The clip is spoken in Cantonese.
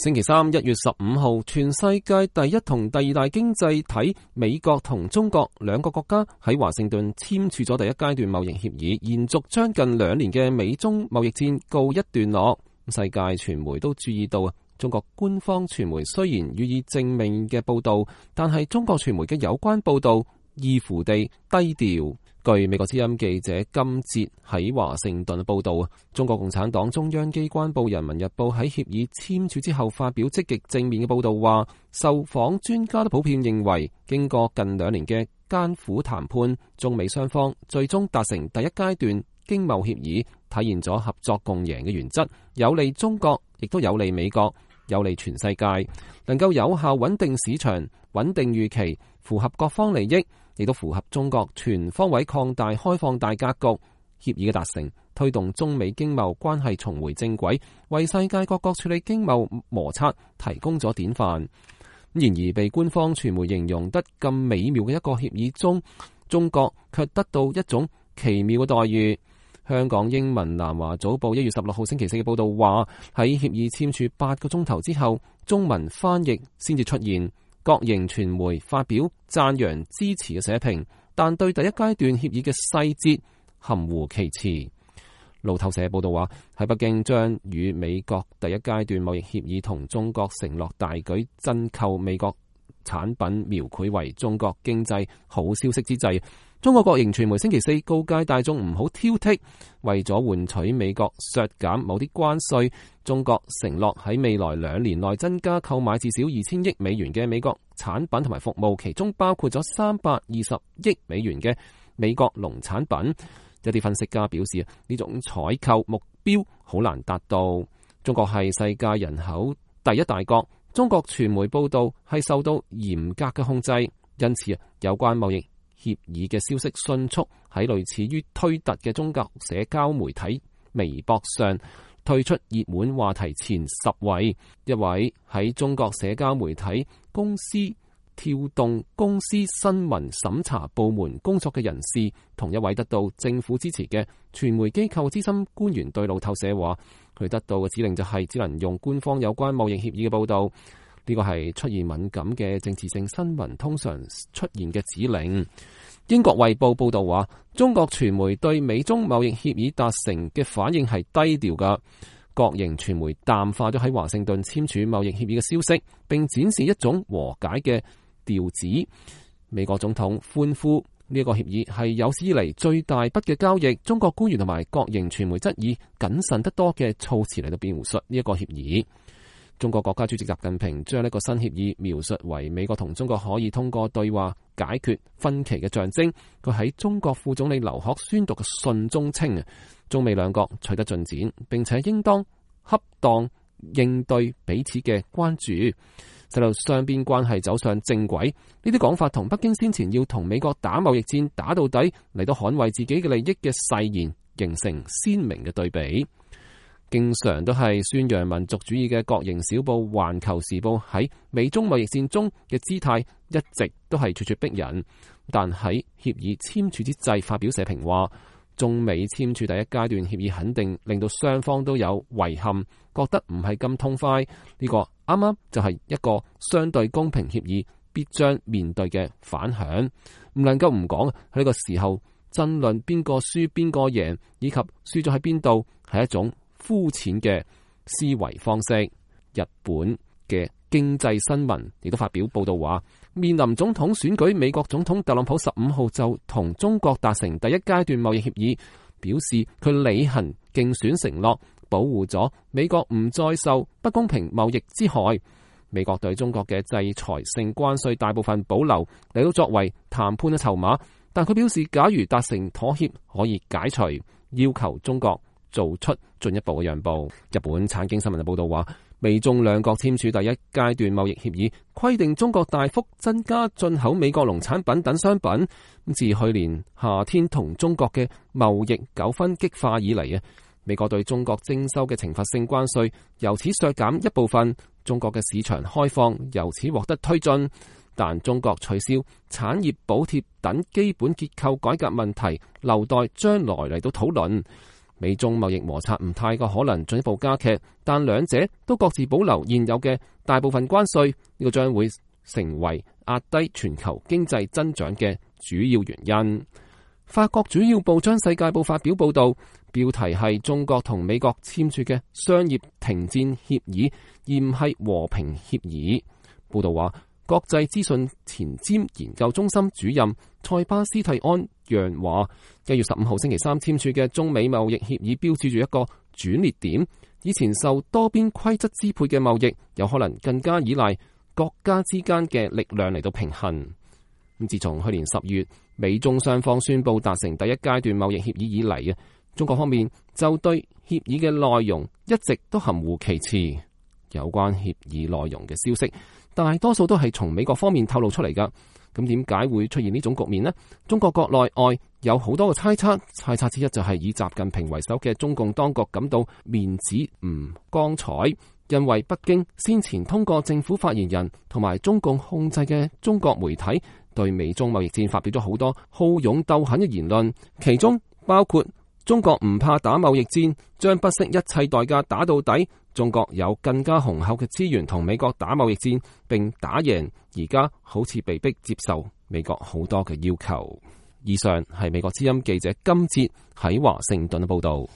星期三1月15號，全世界第一同第二大經濟體美國同中國兩個國家喺華盛頓簽署咗第一階段貿易協議，延續將近2年嘅美中貿易戰告一段落。世界傳媒都注意到，中國官方傳媒雖然予以正面嘅報道，但係中國傳媒嘅有關報道異乎地低調。據美國之音記者金哲喺華盛頓報道，中國共產黨中央機關報《人民日報》喺協議簽署之後發表積極正面嘅報道，話受訪專家都普遍認為，經過近2年嘅艱苦談判，中美雙方最終達成第一階段經貿協議，體現咗合作共贏嘅原則，有利中國，亦都有利美國，有利全世界，能夠有效穩定市場、穩定預期，符合各方利益，亦都符合中國全方位擴大開放大格局。協議嘅達成，推動中美經貿關係重回正軌，為世界各國處理經貿摩擦提供咗典範。然而，被官方傳媒形容得咁美妙嘅一個協議中，中國卻得到一種奇妙嘅待遇。香港英文南華早報1月16號星期四嘅報道話，喺協議簽署8個鐘頭之後，中文翻譯先至出現。各營傳媒發表讚揚支持嘅社評，但對第一階段協議嘅細節含糊其辭。路透社報道話，喺北京將與美國第一階段貿易協議同中國承諾大舉增購美國產品描繪為中國經濟好消息之際，中國國營傳媒星期四告誡大眾唔好挑剔，為咗換取美國削減某啲關稅，中國承諾喺未來2年內增加購買至少2000億美元嘅美國產品同埋服務，其中包括咗320億美元嘅美國農產品。有啲分析家表示，呢種採購目標好難達到。中國係世界人口第一大國，中國傳媒報道係受到嚴格嘅控制，因此有關貿易協議嘅消息迅速喺類似於推特嘅中國社交媒體微博上退出熱門話題前10位。一位喺中國社交媒體公司跳動公司新聞審查部門工作嘅人士，同一位得到政府支持嘅傳媒機構資深官員對路透社話，佢得到嘅指令就係只能用官方有關貿易協議嘅報道。呢個係出現敏感嘅政治性新聞通常出現嘅指令。英國衛報報道話，中國傳媒對美中貿易協議達成嘅反應係低調㗎。國營傳媒淡化咗喺華盛頓簽署貿易協議嘅消息，並展示一種和解嘅調子。美國總統歡呼呢個協議係有史以嚟最大筆嘅交易。中國官員同埋國營傳媒則以謹慎得多嘅措辭嚟到描述呢一個協議。中國國家主席習近平將呢個新協議描述為美國同中國可以通過對話解決分歧嘅象徵。佢喺中國副總理劉鶴宣讀嘅信中稱，中美兩國取得進展，並且應當恰當應對彼此嘅關注，使到雙邊關係走上正軌。呢啲講法同北京先前要同美國打貿易戰打到底嚟到捍衛自己嘅利益嘅誓言形成鮮明嘅對比。經常都係宣揚民族主義嘅國營小報《環球時報》喺美中貿易戰中嘅姿態一直都係咄咄逼人，但喺協議簽署之際發表社評話，中美簽署第一階段協議肯定令到雙方都有遺憾，覺得唔係咁痛快。呢個啱啱就係一個相對公平協議必將面對嘅反響，唔能夠唔講。喺呢個時候爭論邊個輸邊個贏，以及輸咗喺邊度，係一種膚淺嘅思維方式。日本嘅經濟新聞亦都發表報道話，面臨總統選舉，美國總統特朗普15號就同中國達成第一階段貿易協議，表示佢履行競選承諾，保護咗美國唔再受不公平貿易之害。美國對中國嘅制裁性關稅大部分保留嚟到作為談判嘅籌碼，但佢表示假如達成妥協可以解除，要求中國做出進一步嘅讓步。日本產經新聞嘅報道話，美中兩國簽署第一階段貿易協議，規定中國大幅增加進口美國農產品等商品。自去年夏天同中國嘅貿易糾紛激化以嚟，美國對中國徵收嘅懲罰性關稅由此削減一部分，中國嘅市場開放由此獲得推進。但中國取消產業補貼等基本結構改革問題，留待將來嚟到討論。美中貿易摩擦唔太過可能進一步加劇，但兩者都各自保留現有嘅大部分關稅，呢個將會成為壓低全球經濟增長嘅主要原因。法國主要報章《世界報》發表報道，標題係中國同美國簽署嘅商業停戰協議，而唔係和平協議。報道話，國際資訊前瞻研究中心主任塞巴斯蒂安讓話，1月15號星期三簽署嘅中美貿易協議標誌住一個轉捩點。以前受多邊規則支配嘅貿易，有可能更加依賴國家之間嘅力量嚟到平衡。自從去年10月美中雙方宣布達成第一階段貿易協議以嚟，中國方面就對協議嘅內容一直都含糊其辭。有關協議內容嘅消息，大多數都係從美國方面透露出嚟㗎。咁點解會出現呢種局面呢？中國國內外有好多嘅猜測之一就係以習近平為首嘅中共當局感到面子唔光彩，因為北京先前通過政府發言人同埋中共控制嘅中國媒體對美中貿易戰發表咗好多好勇鬥狠嘅言論，其中包括中國唔怕打貿易戰，將不惜一切代價打到底。中國有更加雄厚嘅資源同美國打貿易戰，並打贏，而家好似被迫接受美國好多嘅要求。以上係美國之音記者金哲喺華盛頓嘅報道。